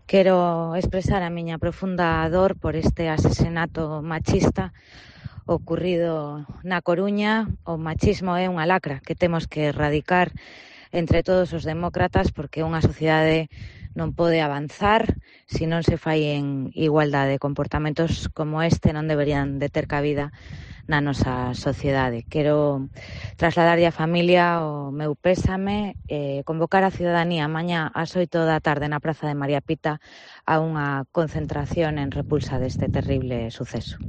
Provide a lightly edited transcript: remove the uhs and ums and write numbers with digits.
Quero expresar a miña profunda dor por este asesinato machista ocurrido na Coruña. O machismo é unha lacra que temos que erradicar entre todos os demócratas, porque unha sociedade non pode avanzar se non se fai en igualdade. Comportamentos como este non deberían de ter cabida na nosa sociedade. Quero trasladarlle á familia o meu pésame e convocar a ciudadanía mañá ás 8 da tarde na Praza de María Pita a unha concentración en repulsa deste terrible suceso.